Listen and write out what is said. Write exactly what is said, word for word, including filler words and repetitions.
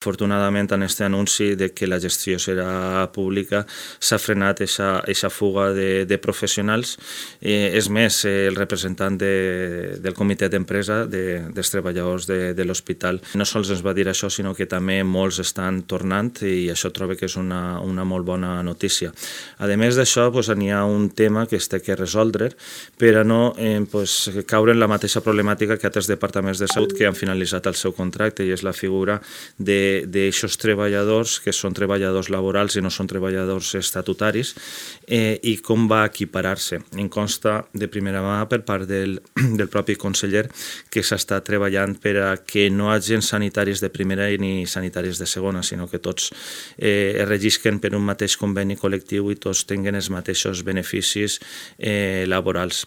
Afortunadament, en aquest anunci de que la gestió serà pública s'ha frenat aquesta fuga de, de professionals. Eh, és més, eh, el representant de, del comitè d'empresa de, dels treballadors de, de l'hospital no sols ens va dir això, sinó que també molts estan tornant i això trobo que és una, una molt bona notícia. A més d'això, pues, n'hi ha un tema que es té que resoldre per a no eh, pues, caure en la mateixa problemàtica que altres departaments de salut que han finalitzat el seu contracte, i és la figura de d'aixòs treballadors que són treballadors laborals i no són treballadors estatutaris, eh, i com va equiparar-se. Em consta de primera mà per part del, del propi conseller que s'està treballant per a que no hi hagi sanitaris de primera ni sanitaris de segona, sinó que tots eh, es regisquen per un mateix conveni col·lectiu i tots tinguin els mateixos beneficis eh, laborals.